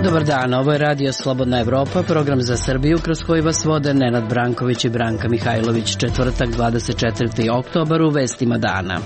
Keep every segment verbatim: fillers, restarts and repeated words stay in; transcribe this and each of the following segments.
Dobar dan, ovo je Radio Slobodna Evropa, program za Srbiju kroz koji vas vode Nenad Branković i Branka Mihajlović. Četvrtak, dvadeset četvrti oktobar, u vestima dana.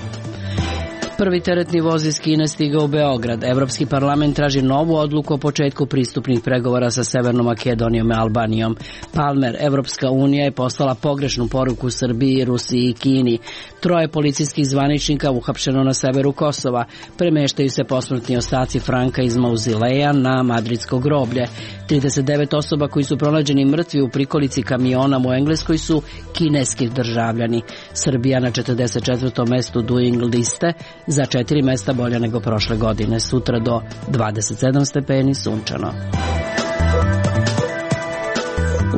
Prvi teretni voz iz Kine stigao u Beograd. Evropski parlament traži novu odluku o početku pristupnih pregovora sa Severnom Makedonijom i Albanijom. Palmer, Evropska unija je poslala pogrešnu poruku Srbiji, Rusiji i Kini. Troje policijskih zvaničnika uhapšeno na severu Kosova. Premeštaju se posmrtni ostaci Franka iz mauzileja na madridsko groblje. trideset devet osoba koji su pronađeni mrtvi u prikolici kamiona u Engleskoj su kineski državljani. Srbija na četrdeset četvrtom mestu Doing liste, za četiri mesta bolje nego prošle godine. Sutra do dvadeset sedam stepeni, sunčano.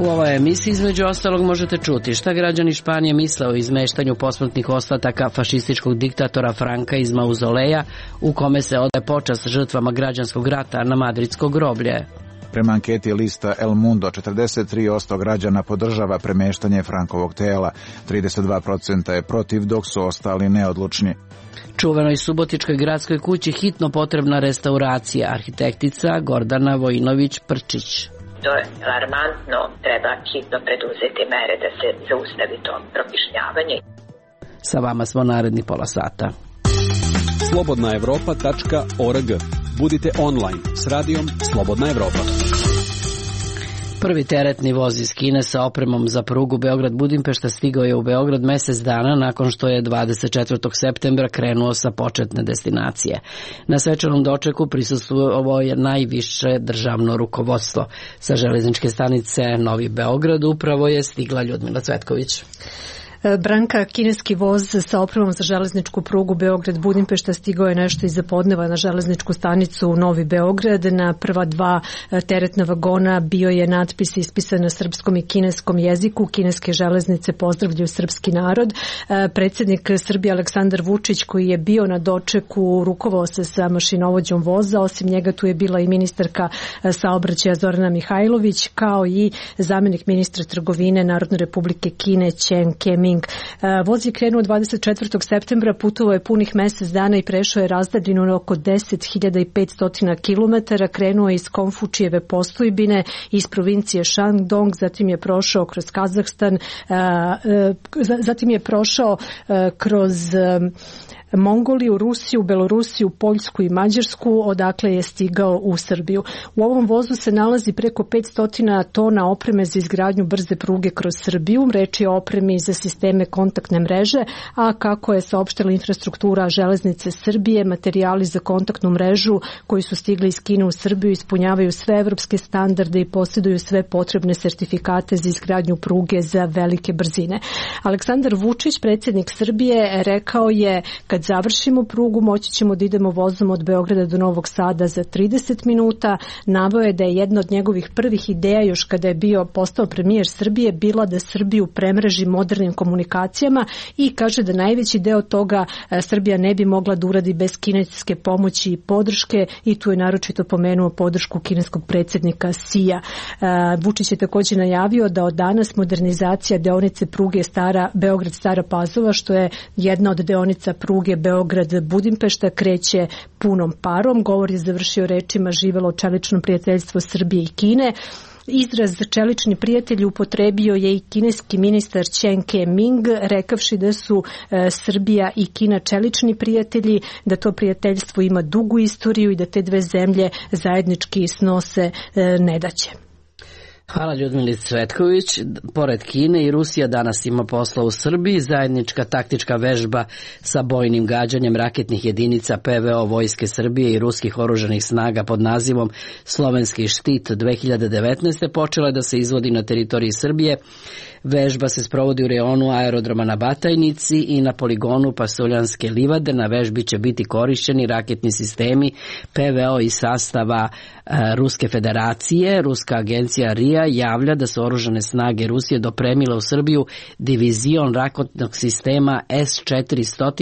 U ovoj emisiji između ostalog možete čuti šta građani Španije misle o izmeštanju posmrtnih ostataka fašističkog diktatora Franka iz mauzoleja u kome se odaje počast žrtvama građanskog rata na madridsko groblje. Prema anketi lista El Mundo, četrdeset tri posto građana podržava premeštanje Frankovog tela, trideset dva posto je protiv, dok su ostali neodlučni. Čuvenoj subotičkoj gradskoj kući hitno potrebna restauracija, arhitektica Gordana Vojinović-Prčić. To je alarmantno, treba hitno preduzeti mere da se zaustavi to prokišnjavanje. Sa vama smo naredni pola sata. slobodna evropa tačka org. Budite online s radijom Slobodna Evropa. Prvi teretni voz iz Kine sa opremom za prugu Beograd-Budimpešta stigao je u Beograd mesec dana nakon što je dvadeset četvrtog septembra krenuo sa početne destinacije. Na svečanom dočeku prisustvovalo je najviše državno rukovodstvo. Sa železničke stanice Novi Beograd upravo je stigla Ljudmila Cvetković. Branka, kineski voz sa opremom za železničku prugu Beograd-Budimpešta stigao je nešto iza podneva na železničku stanicu u Novi Beograd. Na prva dva teretna vagona bio je natpis ispisan na srpskom i kineskom jeziku. Kineske železnice pozdravljaju srpski narod. Predsjednik Srbije Aleksandar Vučić, koji je bio na dočeku, rukovao se sa mašinovođom voza. Osim njega tu je bila i ministarka saobraćaja Zorana Mihajlović, kao i zamenik ministra trgovine Narodne republike Kine Chen Keming. Voz je krenuo dvadeset četvrtog septembra, putovao je punih mesec dana i prešao je razdaljinu oko deset hiljada petsto kilometara. Krenuo je iz Konfučijeve postojbine iz provincije Shandong, zatim je prošao kroz Kazahstan, zatim je prošao kroz Mongoliju, Rusiju, Belorusiju, Poljsku i Mađarsku, odakle je stigao u Srbiju. U ovom vozu se nalazi preko petsto tona opreme za izgradnju brze pruge kroz Srbiju. Reč je o opremi za sisteme kontaktne mreže, a kako je saopštila infrastruktura železnice Srbije, materijali za kontaktnu mrežu koji su stigli iz Kine u Srbiju ispunjavaju sve evropske standarde i posjeduju sve potrebne sertifikate za izgradnju pruge za velike brzine. Aleksandar Vučić, predsjednik Srbije, rekao je: kad završimo prugu, moći ćemo da idemo vozom od Beograda do Novog Sada za trideset minuta. Naveo je da je jedna od njegovih prvih ideja, još kada je bio postao premijer Srbije, bila da Srbiju premreži modernim komunikacijama i kaže da najveći deo toga Srbija ne bi mogla da uradi bez kineske pomoći i podrške, i tu je naročito pomenuo podršku kineskog predsjednika Sija. Vučić je također najavio da od danas modernizacija deonice pruge Stara Beograd-Stara Pazova, što je jedna od deonica pruge Beograd-Budimpešta, kreće punom parom. Govor je završio rečima: živelo čelično prijateljstvo Srbije i Kine. Izraz čelični prijatelji upotrebio je i kineski ministar Chen Keming, rekavši da su e, Srbija i Kina čelični prijatelji, da to prijateljstvo ima dugu istoriju i da te dve zemlje zajednički snose e, nedaće. Hvala Ljudmili Cvetković. Pored Kine i Rusija danas ima posla u Srbiji. Zajednička taktička vežba sa bojnim gađanjem raketnih jedinica P V O Vojske Srbije i ruskih oružanih snaga pod nazivom Slovenski štit dve hiljade devetnaeste počela je da se izvodi na teritoriji Srbije. Vežba se sprovodi u reonu aerodroma na Batajnici i na poligonu Pasuljanske livade. Na vežbi će biti korišćeni raketni sistemi P V O iz sastava e, Ruske federacije. Ruska agencija R I A javlja da su oružane snage Rusije dopremile u Srbiju divizion raketnog sistema S četiristo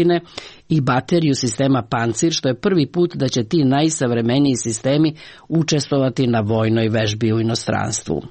i bateriju sistema Pancir, što je prvi put da će ti najsavremeniji sistemi učestvovati na vojnoj vežbi u inostranstvu.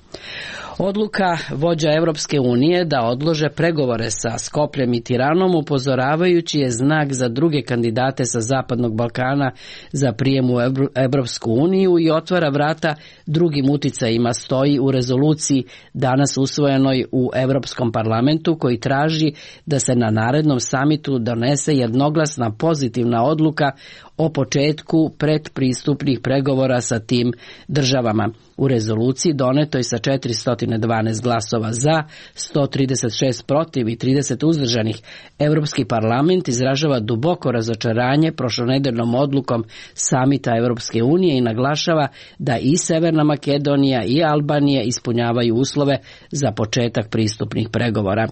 Odluka vođa Evropske unije da odlože pregovore sa Skopljem i Tiranom upozoravajući je znak za druge kandidate sa Zapadnog Balkana za prijem u Evropsku uniju i otvara vrata drugim uticajima, stoji u rezoluciji danas usvojenoj u Evropskom parlamentu koji traži da se na narednom samitu donese jednoglasna pozitivna odluka o početku predpristupnih pregovora sa tim državama. U rezoluciji donetoj sa četiristo dvanaest glasova za, sto trideset šest protiv i trideset uzdržanih, Evropski parlament izražava duboko razočaranje prošlonedeljnom odlukom samita Evropske unije i naglašava da i Severna Makedonija i Albanija ispunjavaju uslove za početak pristupnih pregovora.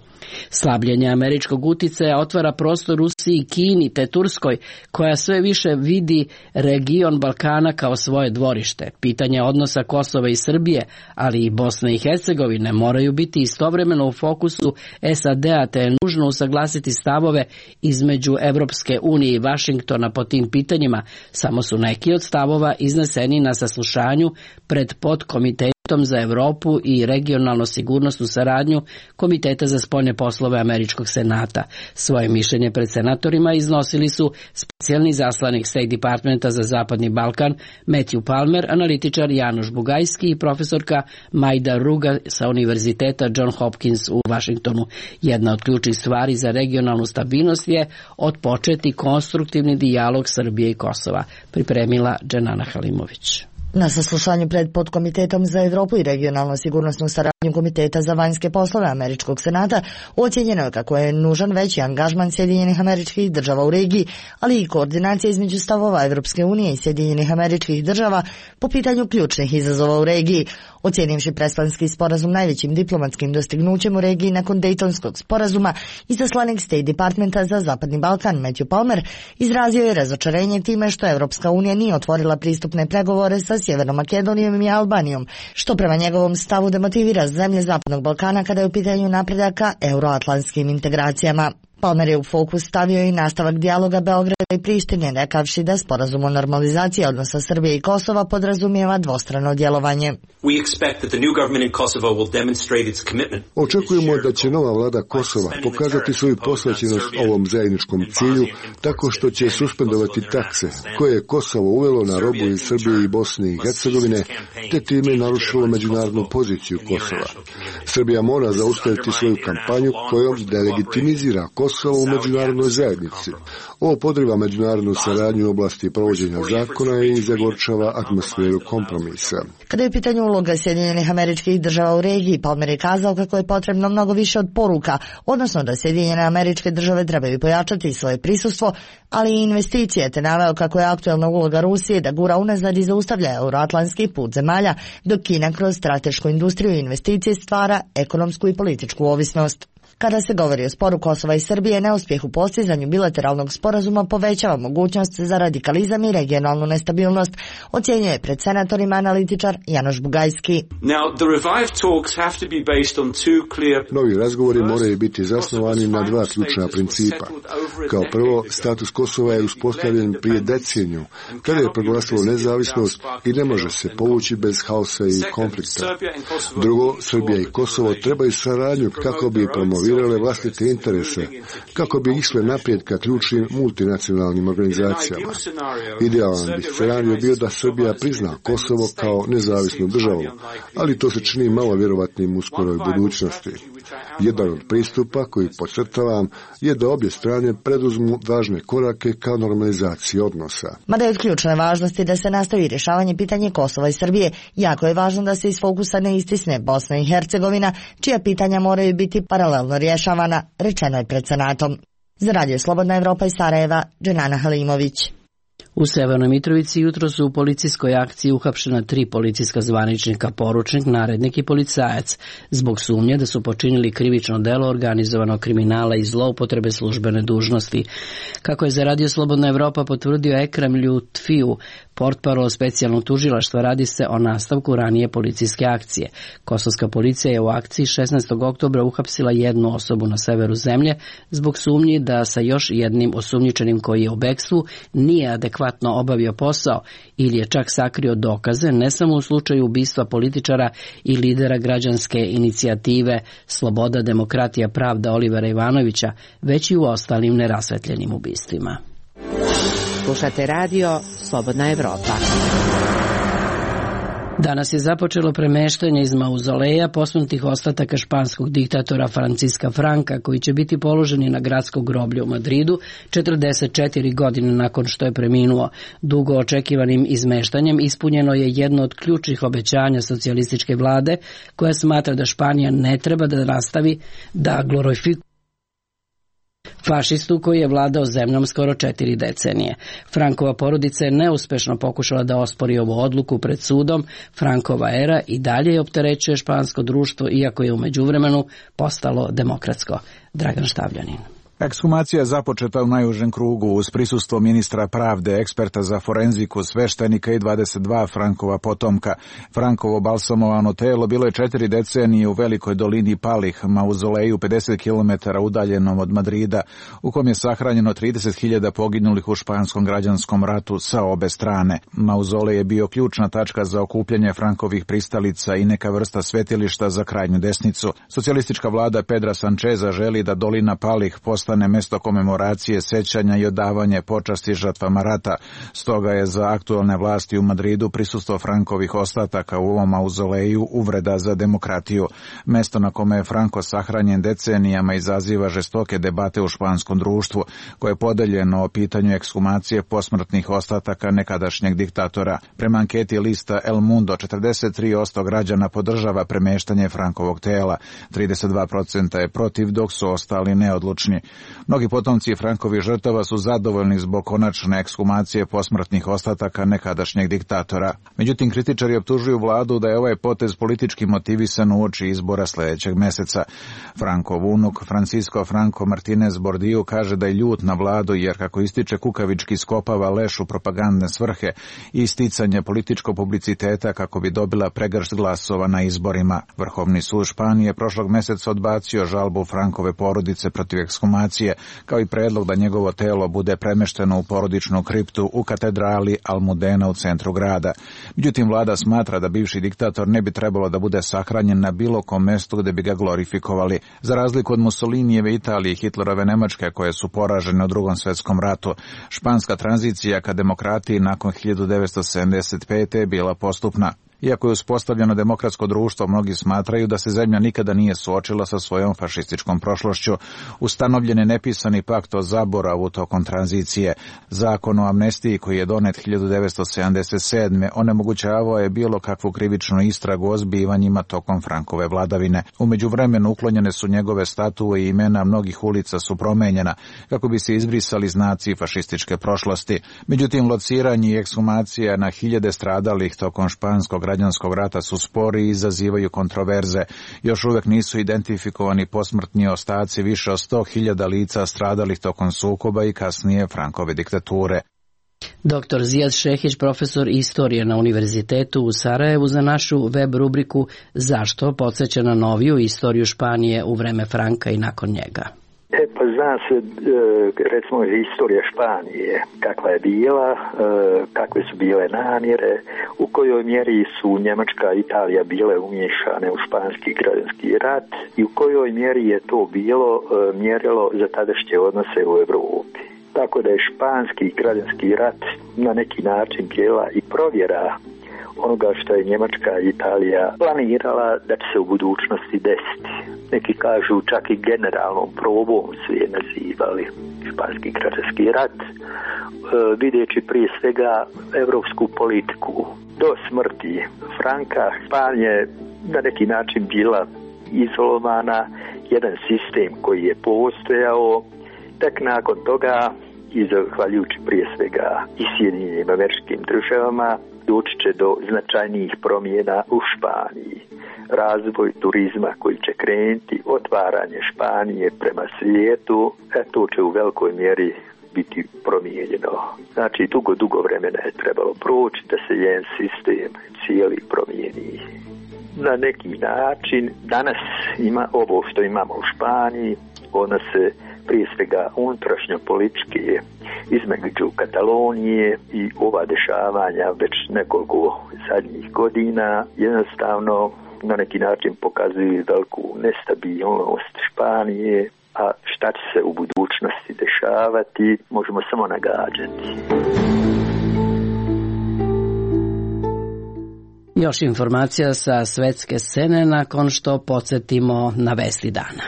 Slabljenje američkog uticaja otvara prostor Rusiji, Kini te Turskoj, koja sve više vidi region Balkana kao svoje dvorište. Pitanje odnosa Kosova i Srbije, ali i Bosne i Hercegovine moraju biti istovremeno u fokusu S A D-a, te je nužno usaglasiti stavove između Evropske unije i Vašingtona po tim pitanjima. Samo su neki od stavova izneseni na saslušanju pred podkomitetom za Evropu i regionalno sigurnosnu saradnju Komiteta za spoljne poslove Američkog senata. Svoje mišljenje pred senatorima iznosili su specijalni zaslanik State Departmenta za Zapadni Balkan Matthew Palmer, analitičar Janoš Bugajski i profesorka Majda Ruga sa Univerziteta John Hopkins u Vašingtonu. Jedna od ključnih stvari za regionalnu stabilnost je otpočeti konstruktivni dijalog Srbije i Kosova, pripremila Dženana Halimović. Na saslušanju pred podkomitetom za Evropu i regionalno sigurnosnu saradnju Komiteta za vanjske poslove Američkog senata ocjenjeno je kako je nužan veći angažman Sjedinjenih Američkih Država u regiji, ali i koordinacija između stavova Evropske unije i Sjedinjenih Američkih Država po pitanju ključnih izazova u regiji. Ocjenivši Prespanski sporazum najvećim diplomatskim dostignućem u regiji nakon Dejtonskog sporazuma, izaslanik State Departmenta za Zapadni Balkan Matthew Palmer izrazio je razočarenje time što Evropska unija nije otvorila pristupne pregovore sa Sjevernom Makedonijom i Albanijom, što prema njegovom stavu demotivira zemlje Zapadnog Balkana kada je u pitanju napredaka euroatlantskim integracijama. Palmer je u fokus stavio i nastavak dijaloga Beograda i Prištine, rekavši da sporazum o normalizaciji odnosa Srbije i Kosova podrazumijeva dvostrano djelovanje. Očekujemo da će nova vlada Kosova pokazati svoju posvećenost ovom zajedničkom cilju tako što će suspendovati takse koje je Kosovo uvelo na robu iz Srbije i Bosne i Hercegovine, te time narušilo međunarodnu poziciju Kosova. Srbija mora zaustaviti svoju kampanju kojom delegitimizira Kosovo Kosovo u međunarodnoj zajednici. Ovo podriva međunarodnu saradnju u oblasti provođenja zakona i zagorčava atmosferu kompromisa. Kada je u pitanju uloga Sjedinjenih Američkih Država u regiji, Palmer je kazao kako je potrebno mnogo više od poruka, odnosno da Sjedinjene Američke Države trebaju pojačati svoje prisustvo, ali i investicije, te naveo kako je aktuelna uloga Rusije da gura unazad i zaustavlja euroatlantski put zemalja, dok Kina kroz stratešku industriju i investicije stvara ekonomsku i političku ovisnost. Kada se govori o sporu Kosova i Srbije, neuspjeh u postizanju bilateralnog sporazuma povećava mogućnost za radikalizam i regionalnu nestabilnost, ocjenjuje pred senatorima analitičar Janoš Bugajski. Novi razgovori moraju biti zasnovani na dva ključna principa. Kao prvo, status Kosova je uspostavljen prije deceniju, kada je proglasilo nezavisnost i ne može se povući bez haosa i konflikta. Drugo, Srbija i Kosovo trebaju saradnju kako bi promovirali vlastite interese, kako bi išle naprijed ka ključnim multinacionalnim organizacijama. Idealan bi scenarij bio da Srbija prizna Kosovo kao nezavisnu državu, ali to se čini malo vjerovatnim u skoroj budućnosti. Jedan od pristupa koji podcrtavam je da obje strane preduzmu važne korake ka normalizaciji odnosa. Mada je od ključne važnosti da se nastavi rješavanje pitanje Kosova i Srbije, jako je važno da se iz fokusa ne istisne Bosna i Hercegovina, čija pitanja moraju biti paralelno rješavana, rečeno je pred Senatom. Za Radio Slobodna Evropa iz Sarajeva, Dženana Halimović. U Severnoj Mitrovici jutro su u policijskoj akciji uhapšena tri policijska zvaničnika, poručnik, narednik i policajac, zbog sumnje da su počinili krivično delo organizovanog kriminala i zloupotrebe službene dužnosti. Kako je za Radio Slobodna Evropa potvrdio Ekrem Ljutfiju, portparol specijalnog tužilaštva, radi se o nastavku ranije policijske akcije. Kosovska policija je u akciji šesnaestog oktobra uhapsila jednu osobu na severu zemlje zbog sumnji da sa još jednim osumnjičenim koji je u bekstvu nije adekvatno neadekvatno obavio posao ili je čak sakrio dokaze ne samo u slučaju ubistva političara i lidera građanske inicijative Sloboda, demokratija, pravda Olivera Ivanovića, već i u ostalim nerasvetljenim ubistvima. Slušate radio Slobodna Evropa. Danas je započelo premeštanje iz mauzoleja posmrtnih ostataka španskog diktatora Franciska Franka, koji će biti položeni na gradsko groblje u Madridu četrdeset četiri godine nakon što je preminuo. Dugo očekivanim izmeštanjem ispunjeno je jedno od ključnih obećanja socijalističke vlade, koja smatra da Španija ne treba da nastavi da glorifikuje fašistu koji je vladao zemljom skoro četiri decenije. Frankova porodica je neuspešno pokušala da ospori ovu odluku pred sudom. Frankova era i dalje opterećuje špansko društvo, iako je u međuvremenu postalo demokratsko. Dragan Štavljanin. Ekshumacija započeta u najužem krugu uz prisustvo ministra pravde, eksperta za forenziku, sveštenika i dvadeset dva Frankova potomka. Frankovo balsamovano telo bilo je četiri decenije u velikoj dolini Palih, mauzoleju pedeset kilometara udaljenom od Madrida, u kom je sahranjeno trideset hiljada poginulih u španskom građanskom ratu sa obe strane. Mauzolej je bio ključna tačka za okupljanje Frankovih pristalica i neka vrsta svetilišta za krajnju desnicu. Socijalistička vlada Pedra Sančeza želi da dolina Palih postane mesto komemoracije, sećanja i odavanje počasti žrtvama rata. Stoga je za aktualne vlasti u Madridu prisustvo Frankovih ostataka u ovom mauzoleju uvreda za demokratiju. Mesto na kome je Franko sahranjen decenijama izaziva žestoke debate u španskom društvu, koje je podeljeno o pitanju ekshumacije posmrtnih ostataka nekadašnjeg diktatora. Prema anketi lista El Mundo, četrdeset tri posto građana podržava premeštanje Frankovog tela, trideset dva posto je protiv, dok su ostali neodlučni. Mnogi potomci Frankovih žrtava su zadovoljni zbog konačne ekshumacije posmrtnih ostataka nekadašnjeg diktatora. Međutim, kritičari optužuju vladu da je ovaj potez politički motivisan uoči izbora sljedećeg meseca. Frankov unuk Francisco Franco Martinez Bordillo kaže da je ljut na vladu jer, kako ističe, kukavički skopava leš u propagandne svrhe i isticanje političkog publiciteta kako bi dobila pregršt glasova na izborima. Vrhovni sud Španije prošlog meseca odbacio žalbu Frankove porodice protiv ekshumacije, kao i predlog da njegovo telo bude premešteno u porodičnu kriptu u katedrali Almudena u centru grada. Međutim, vlada smatra da bivši diktator ne bi trebalo da bude sahranjen na bilo kom mestu gde bi ga glorifikovali. Za razliku od Mussolinijeve Italije i Hitlerove Nemačke, koje su poražene u Drugom svetskom ratu, španska tranzicija ka demokratiji nakon hiljadu devetsto sedamdeset pete je bila postupna. Iako je uspostavljeno demokratsko društvo, mnogi smatraju da se zemlja nikada nije suočila sa svojom fašističkom prošlošću. Ustanovljen je nepisani pakt o zaboravu tokom tranzicije. Zakon o amnestiji, koji je donet hiljadu devetsto sedamdeset sedme onemogućavao je bilo kakvu krivičnu istragu o zbivanjima tokom Frankove vladavine. U međuvremenu uklonjene su njegove statue i imena mnogih ulica su promenjena kako bi se izbrisali znaci fašističke prošlosti. Međutim, lociranje i ekshumacija na hiljade stradalih tokom španskog građanskog rata su spori i izazivaju kontroverze. Još uvek nisu identifikovani posmrtni ostaci više od sto hiljada lica stradalih tokom sukoba i kasnije Frankove diktature. Doktor Zijad Šehić, profesor istorije na Univerzitetu u Sarajevu, za našu web rubriku Zašto podsjeća na noviju istoriju Španije u vreme Franka i nakon njega. E, pa zna se, recimo, istorija Španije, kakva je bila, kakve su bile namjere, u kojoj mjeri su Njemačka i Italija bile umiješane u španski građanski rat i u kojoj mjeri je to bilo mjerilo za tadašnje odnose u Evropi. Tako da je španski građanski rat na neki način bila i provjera onoga što je Njemačka i Italija planirala da će se u budućnosti desiti. Neki kažu čak i generalnom probom su je nazivali španski građanski rat, e, vidjeći prije svega evropsku politiku. Do smrti Franka Španija je na neki način bila izolovana, jedan sistem koji je postojao. Tek nakon toga, i zahvaljujući prije svega i Sjedinjenim Američkim Državama, doći će do značajnijih promjena u Španiji. Razvoj turizma koji će krenuti, otvaranje Španije prema svijetu, e, to će u velikoj mjeri biti promijenjeno. Znači, dugo, dugo vremena je trebalo proći da se jedan sistem cijeli promijeni. Na neki način, danas ima ovo što imamo u Španiji, ona se prije svega unutrašnjo političke između Katalonije i ova dešavanja već nekoliko zadnjih godina jednostavno na neki način pokazuju veliku nestabilnost Španije, a šta će se u budućnosti dešavati možemo samo nagađati. Još informacija sa svetske scene nakon što podsjetimo na vesti dana.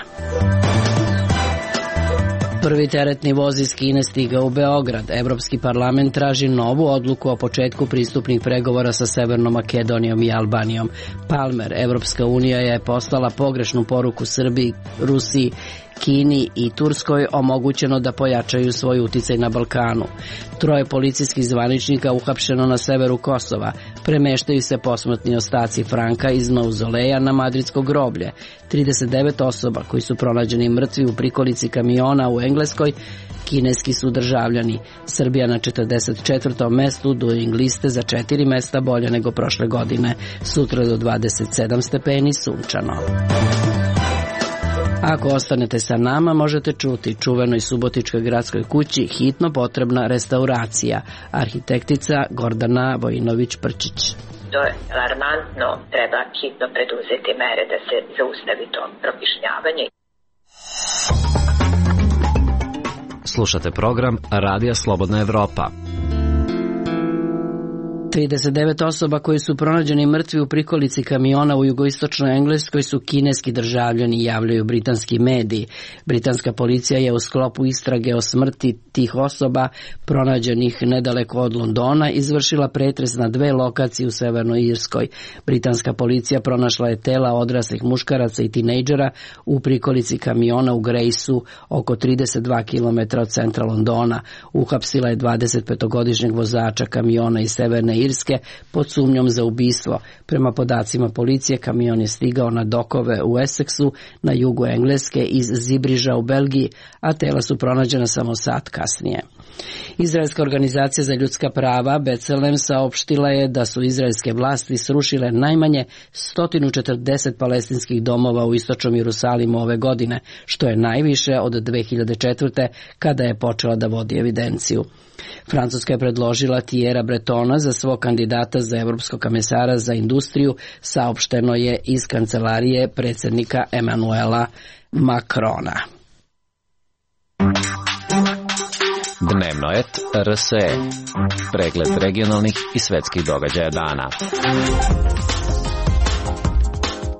Prvi teretni voz iz Kine stigao u Beograd. Evropski parlament traži novu odluku o početku pristupnih pregovora sa Severnom Makedonijom i Albanijom. Palmer, Evropska unija je poslala pogrešnu poruku Srbiji, Rusiji, Kini i Turskoj omogućeno da pojačaju svoj uticaj na Balkanu. Troje policijskih zvaničnika uhapšeno na severu Kosova. Premeštaju se posmrtni ostaci Franka iz mauzoleja na madridsko groblje. trideset devet osoba koji su pronađeni mrtvi u prikolici kamiona u Engleskoj kineski su državljani. Srbija na četrdeset četvrtom mestu Doing liste za četiri mesta bolje nego prošle godine. Sutra do dvadeset sedam stepeni sunčano. Ako ostanete sa nama, možete čuti čuvenoj subotičkoj gradskoj kući hitno potrebna restauracija. Arhitektica Gordana Vojinović-Prčić. To je alarmantno, treba hitno preduzeti mere da se zaustavi to prokišnjavanje. Slušate program Radija Slobodna Evropa. trideset devet osoba koji su pronađeni mrtvi u prikolici kamiona u jugoistočnoj Engleskoj su kineski državljani, javljaju britanski mediji. Britanska policija je u sklopu istrage o smrti tih osoba pronađenih nedaleko od Londona izvršila pretres na dve lokacije u Severnoj Irskoj. Britanska policija pronašla je tela odraslih muškaraca i tinejdžera u prikolici kamiona u Grejsu, oko trideset dva kilometra od centra Londona. Uhapsila je dvadesetpetogodišnjeg vozača kamiona iz Severne Irske pod sumnjom za ubistvo. Prema podacima policije, kamion je stigao na dokove u Essexu na jugu Engleske iz Zibriža u Belgiji, a tela su pronađena samo sat kasnije. Izraelska organizacija za ljudska prava B'Tselem saopštila je da su izraelske vlasti srušile najmanje sto četrdeset palestinskih domova u istočnom Jerusalimu ove godine, što je najviše od dve hiljade četvrte. kada je počela da vodi evidenciju. Francuska je predložila Thierryja Bretona za svog kandidata za evropskog komesara za industriju, saopšteno je iz kancelarije predsjednika Emmanuela Macrona. Dnevnoet R S E. Pregled regionalnih i svetskih događaja dana.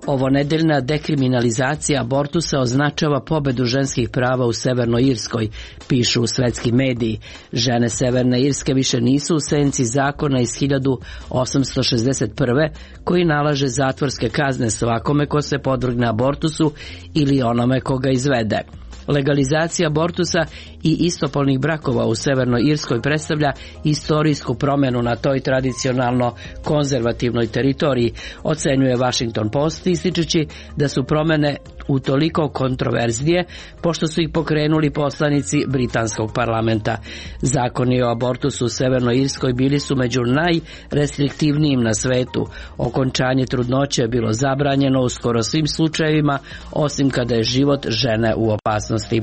Ovonedeljna dekriminalizacija abortusa označava pobedu ženskih prava u Severnoj Irskoj, pišu svetski mediji. Žene Severne Irske više nisu u senci zakona iz hiljadu osamsto šezdeset prve. koji nalaže zatvorske kazne svakome ko se podvrgne abortusu ili onome ko ga izvede. Legalizacija abortusa i istopolnih brakova u Severnoj Irskoj predstavlja istorijsku promjenu na toj tradicionalno konzervativnoj teritoriji, ocenjuje Washington Post, ističući da su promjene utoliko kontroverznije pošto su ih pokrenuli poslanici britanskog parlamenta. Zakoni o abortusu u Severnoj Irskoj bili su među najrestriktivnijim na svetu. Okončanje trudnoće je bilo zabranjeno u skoro svim slučajevima, osim kada je život žene u opasnosti.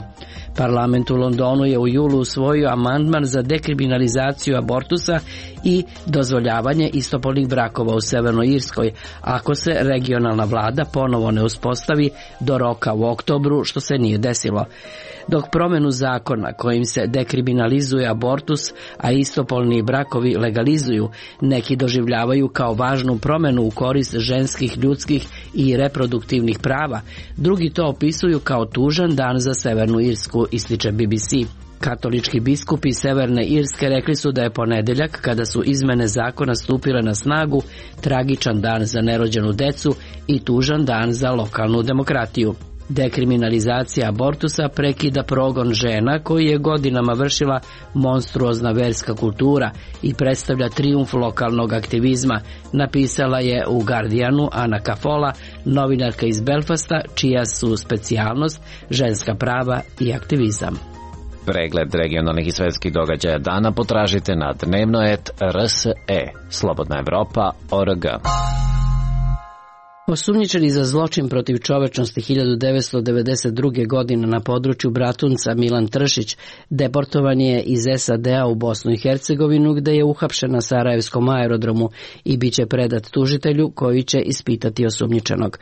Parlament u Londonu je u julu usvojio amandman za dekriminalizaciju abortusa i dozvoljavanje istopolnih brakova u Severnoj Irskoj, ako se regionalna vlada ponovo ne uspostavi do roka u oktobru, što se nije desilo. Dok promjenu zakona kojim se dekriminalizuje abortus, a istopolni brakovi legalizuju, neki doživljavaju kao važnu promjenu u korist ženskih, ljudskih i reproduktivnih prava, drugi to opisuju kao tužan dan za Severnu Irsku, ističe B B C. Katolički biskupi Severne Irske rekli su da je ponedeljak, kada su izmene zakona stupile na snagu, tragičan dan za nerođenu decu i tužan dan za lokalnu demokratiju. Dekriminalizacija abortusa prekida progon žena koji je godinama vršila monstruozna verska kultura i predstavlja trijumf lokalnog aktivizma, napisala je u Guardianu Ana Cafola, novinarka iz Belfasta, čija su specijalnost ženska prava i aktivizam. Pregled regionalnih i svetskih događaja dana potražite na dnevnoet R S E. Slobodna Evropa, O R G. Osumnjičeni za zločin protiv čovečnosti hiljadu devetsto devedeset druge. godine na području Bratunca Milan Tršić deportovan je iz S A D-a u Bosnu i Hercegovinu, gde je uhapšen na Sarajevskom aerodromu i bit će predat tužitelju koji će ispitati osumnjičenog.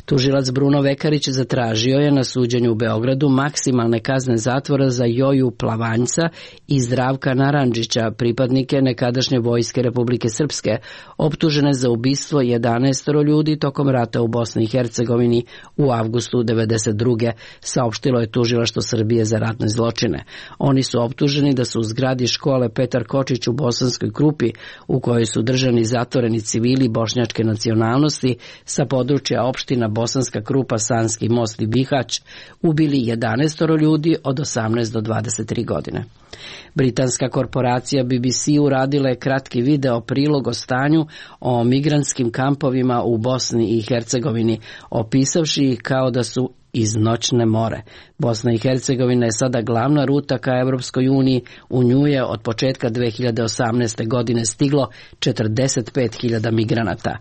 Tužilac Bruno Vekarić zatražio je na suđenju u Beogradu maksimalne kazne zatvora za Joju Plavanjca i Zdravka Narandžića, pripadnike nekadašnje vojske Republike Srpske, optužene za ubistvo jedanaest ljudi tokom rata u Bosni i Hercegovini u avgustu devedeset druge. saopštilo je tužilaštvo Srbije za ratne zločine. Oni su optuženi da su u zgradi škole Petar Kočić u Bosanskoj Krupi, u kojoj su držani zatvoreni civili bošnjačke nacionalnosti sa područja opština Bosanska Krupa, Sanski Most i Bihać, ubili jedanaest ljudi od osamnaest do dvadeset tri godine. Britanska korporacija B B C uradila je kratki video prilog o stanju o migrantskim kampovima u Bosni i Hercegovini, opisavši ih kao da su iz noćne more. Bosna i Hercegovina je sada glavna ruta ka Evropskoj uniji. U nju je od početka dve hiljade osamnaeste. godine stiglo četrdeset pet hiljada migranata.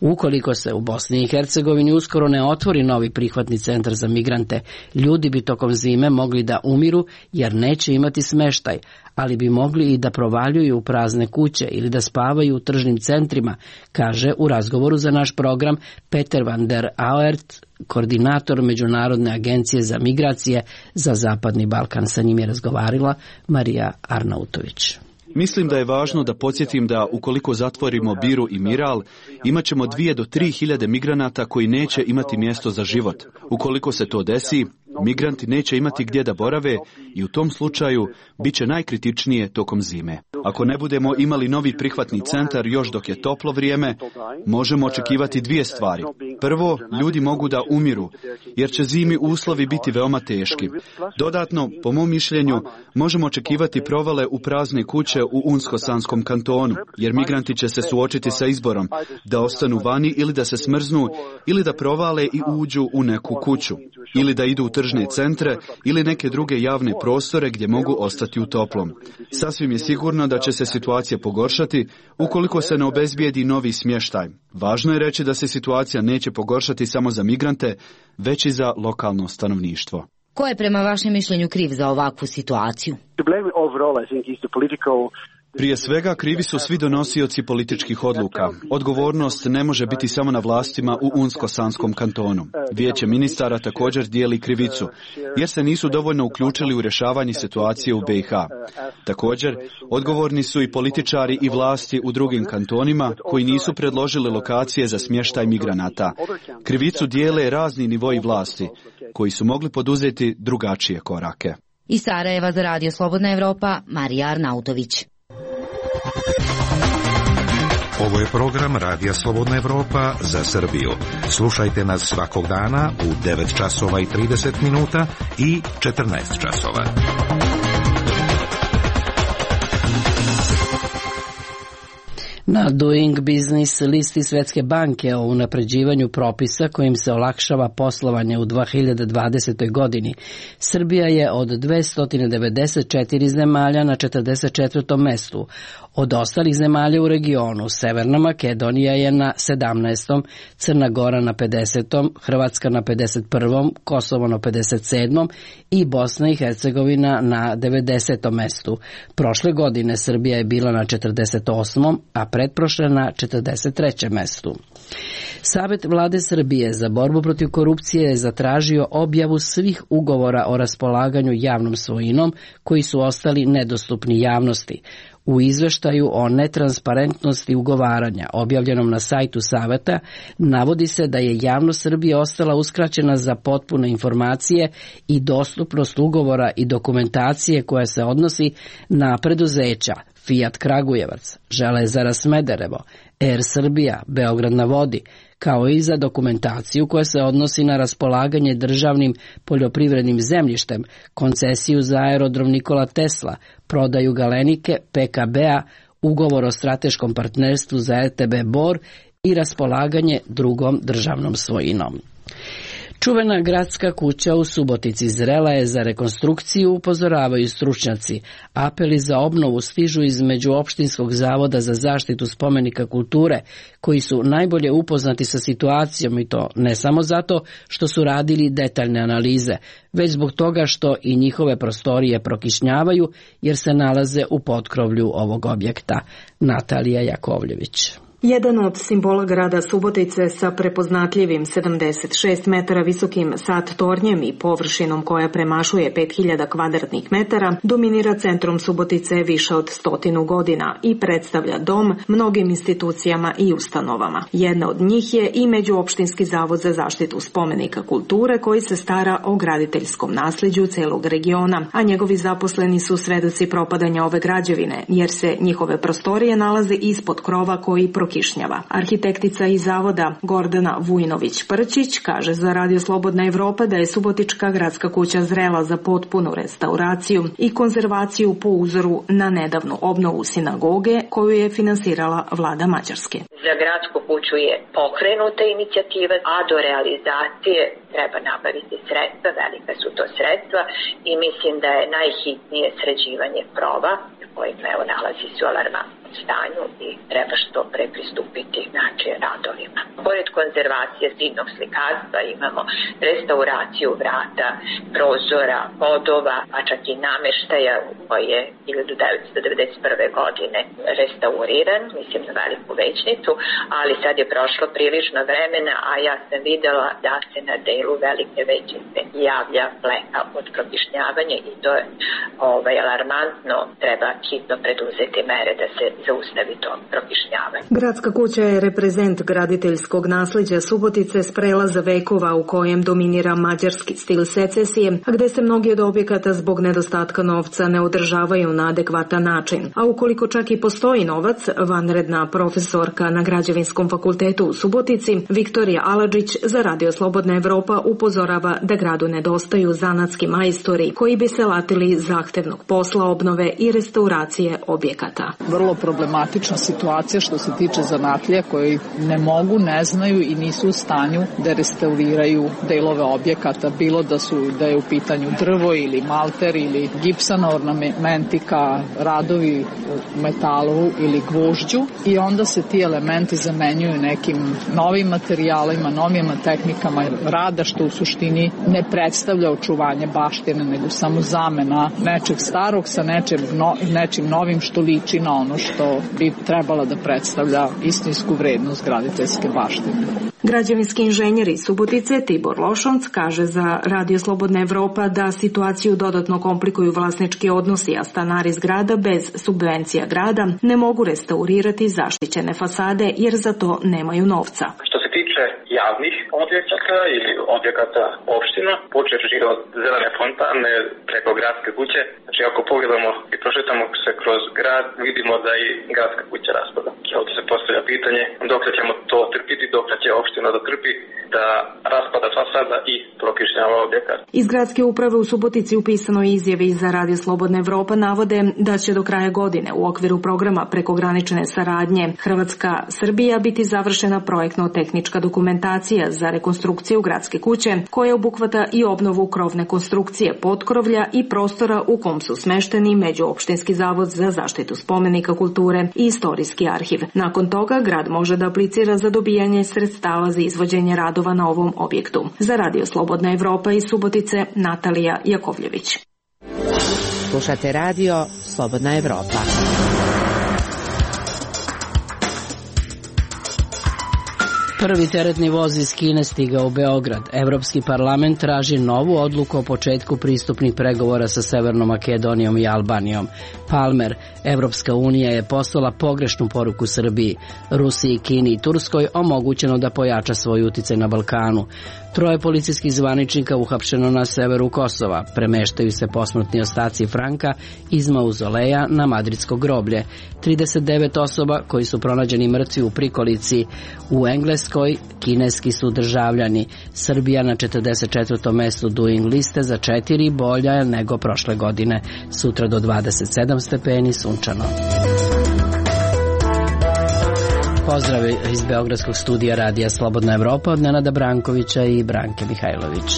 Ukoliko se u Bosni i Hercegovini uskoro ne otvori novi prihvatni centar za migrante, ljudi bi tokom zime mogli da umiru jer neće imati smeštaj, ali bi mogli i da provaljuju u prazne kuće ili da spavaju u tržnim centrima, kaže u razgovoru za naš program Peter van der Aert, koordinator Međunarodne agencije za migracije za Zapadni Balkan. Sa njim je razgovarila Marija Arnautović. Mislim da je važno da podsjetim da ukoliko zatvorimo Biru i Miral, imat ćemo dvije do tri hiljade migranata koji neće imati mjesto za život. Ukoliko se to desi, migranti neće imati gdje da borave i u tom slučaju bit će najkritičnije tokom zime. Ako ne budemo imali novi prihvatni centar još dok je toplo vrijeme, možemo očekivati dvije stvari. Prvo, ljudi mogu da umiru, jer će zimi uslovi biti veoma teški. Dodatno, po mom mišljenju, možemo očekivati provale u prazne kuće u Unsko-Sanskom kantonu, jer migranti će se suočiti sa izborom da ostanu vani ili da se smrznu, ili da provale i uđu u neku kuću, ili da idu u tržne centre ili neke druge javne prostore gdje mogu ostati u toplom. Sasvim je sigurno da će se situacija pogoršati ukoliko se ne obezbijedi novi smještaj. Važno je reći da se situacija neće pogoršati samo za migrante, već i za lokalno stanovništvo. Ko je prema vašem mišljenju kriv za ovakvu situaciju? Prije svega, krivi su svi donosioci političkih odluka. Odgovornost ne može biti samo na vlastima u Unsko-Sanskom kantonu. Vijeće ministara također dijeli krivicu, jer se nisu dovoljno uključili u rješavanje situacije u B i H. Također, odgovorni su i političari i vlasti u drugim kantonima koji nisu predložili lokacije za smještaj migranata. Krivicu dijele razni nivoi vlasti, koji su mogli poduzeti drugačije korake. Iz Sarajeva za Radio Slobodna Evropa, Marija Arnautović. Ovo je program Radija Slobodna Evropa za Srbiju. Slušajte nas svakog dana u devet časova i trideset minuta i četrnaest časova. Na Doing Business listi Svetske banke o unapređivanju propisa kojim se olakšava poslovanje u dve hiljade dvadesetoj. godini, Srbija je od dvesta devedeset četiri zemalja na četrdeset četvrtom mestu. Od ostalih zemalja u regionu, Severna Makedonija je na sedamnaestom, Crna Gora na pedesetom, Hrvatska na pedeset prvom, Kosovo na pedeset sedmom i Bosna i Hercegovina na devedesetom mestu. Prošle godine Srbija je bila na četrdeset osmom, a pretprošle na četrdeset trećem mestu. Savet vlade Srbije za borbu protiv korupcije je zatražio objavu svih ugovora o raspolaganju javnom svojinom koji su ostali nedostupni javnosti. U izveštaju o netransparentnosti ugovaranja, objavljenom na sajtu Saveta, navodi se da je javnost Srbije ostala uskraćena za potpune informacije i dostupnost ugovora i dokumentacije koja se odnosi na preduzeća Fiat Kragujevac, Železara Smederevo, Air Srbija, Beograd na vodi, kao i za dokumentaciju koja se odnosi na raspolaganje državnim poljoprivrednim zemljištem, koncesiju za aerodrom Nikola Tesla, prodaju Galenike, P K B-a, ugovor o strateškom partnerstvu za R T B Bor i raspolaganje drugom državnom svojinom. Čuvena gradska kuća u Subotici zrela je za rekonstrukciju, upozoravaju stručnjaci. Apeli za obnovu stižu iz Međuopštinskog zavoda za zaštitu spomenika kulture, koji su najbolje upoznati sa situacijom, i to ne samo zato što su radili detaljne analize, već zbog toga što i njihove prostorije prokišnjavaju jer se nalaze u potkrovlju ovog objekta. Natalija Jakovljević. Jedan od simbola grada Subotice sa prepoznatljivim sedamdeset šest metara visokim sat tornjem i površinom koja premašuje pet hiljada kvadratnih metara dominira centrom Subotice više od stotinu godina i predstavlja dom mnogim institucijama i ustanovama. Jedna od njih je i Međuopštinski zavod za zaštitu spomenika kulture koji se stara o graditeljskom nasljeđu celog regiona, a njegovi zaposleni su svedoci propadanja ove građevine jer se njihove prostorije nalaze ispod krova koji prokišnjava. Arhitektica iz zavoda Gordana Vujnović-Prčić kaže za Radio Slobodna Evropa da je Subotička gradska kuća zrela za potpunu restauraciju i konzervaciju po uzoru na nedavnu obnovu sinagoge koju je finansirala vlada Mađarske. Za gradsku kuću je pokrenuta inicijativa, a do realizacije treba nabaviti sredstva, velika su to sredstva i mislim da je najhitnije sređivanje krova koji evo nalazi se u alarmantnom stanju i treba što pre pristupiti znači radovima. Pored konzervacije zidnog slikarstva imamo restauraciju vrata, prozora, podova, a čak i nameštaja koji je hiljadu devetsto devedeset prve. godine restauriran, mislim na veliku većnicu, ali sad je prošlo prilično vremena, a ja sam videla da se na delu velike većnice javlja fleka od prokišnjavanja i to je ovaj, alarmantno, treba hitno preduzeti mere da se zaustavi to prokišnjavanje. Gradska kuća je reprezent graditeljskog nasleđa Subotice s prelaza vekova u kojem dominira mađarski stil secesije, a gde se mnogi od objekata zbog nedostatka novca ne održavaju na adekvatan način. A ukoliko čak i postoji novac, vanredna profesorka na Građevinskom fakultetu u Subotici, Viktorija Aladžić za Radio Slobodna Evropa upozorava da gradu nedostaju zanatski majstori koji bi se latili zahtevnog posla obnove i restauracije objekata. Vrlo problematična situacija što se tiče zanatlija koji ne mogu, ne znaju i nisu u stanju da restauriraju delove objekata, bilo da su da je u pitanju drvo ili malter ili gipsana ornamentika, radovi u metalu ili gvožđu i onda se ti elementi zamenjuju nekim novim materijalima, novim tehnikama rada što u suštini ne predstavlja očuvanje baštine nego samo zamena nečeg starog sa nečim, no, nečim novim što liči na ono što bi trebala da predstavlja istinsku vrednost graditeljske baštine. Građevinski inženjer iz Subotice Tibor Lošonc kaže za Radio Slobodna Evropa da situaciju dodatno komplikuju vlasnički odnosi, a stanari zgrada bez subvencija grada ne mogu restaurirati zaštićene fasade jer za to nemaju novca. Javnih objekata ili objekata opština, počevši od zelene fontane preko gradske kuće. Znači ako pogledamo i prošetamo se kroz grad, vidimo da i gradska kuća raspada. Ovdje se postavlja pitanje dok ćemo to trpiti, dok će opština da trpi da raspada fasada i prokišnjava objekat. Iz gradske uprave u Subotici u pisanoj izjavi za Radio Slobodna Evropa navode da će do kraja godine u okviru programa prekogranične saradnje Hrvatska-Srbija biti završena projektno-tehnička dokumentacija za rekonstrukciju gradske kuće koja obuhvata i obnovu krovne konstrukcije potkrovlja i prostora u kom su smešteni Međuopštinski zavod za zaštitu spomenika kulture i istorijski arhiv. Nakon toga grad može da aplicira za dobijanje sredstava za izvođenje radova na ovom objektu. Za Radio Slobodna Evropa iz Subotice, Natalija Jakovljević. Slušate Radio Slobodna Evropa. Prvi teretni voz iz Kine stigao u Beograd. Evropski parlament traži novu odluku o početku pristupnih pregovora sa Severnom Makedonijom i Albanijom. Palmer, Evropska unija je poslala pogrešnu poruku Srbiji. Rusiji, Kini i Turskoj omogućeno da pojača svoj uticaj na Balkanu. Troje policijskih zvaničnika uhapšeno na severu Kosova. Premeštaju se posmrtni ostaci Franka iz mauzoleja na madridsko groblje. trideset devet osoba koji su pronađeni mrtvi u prikolici u Engleskoj, kineski su državljani. Srbija na četrdeset četvrtom mestu Doing liste za četiri, bolja nego prošle godine. Sutra do dvadeset sedam stepeni, sunčano. Pozdrav iz Beogradskog studija Radija Slobodna Evropa od Nenada Brankovića i Branke Mihajlović.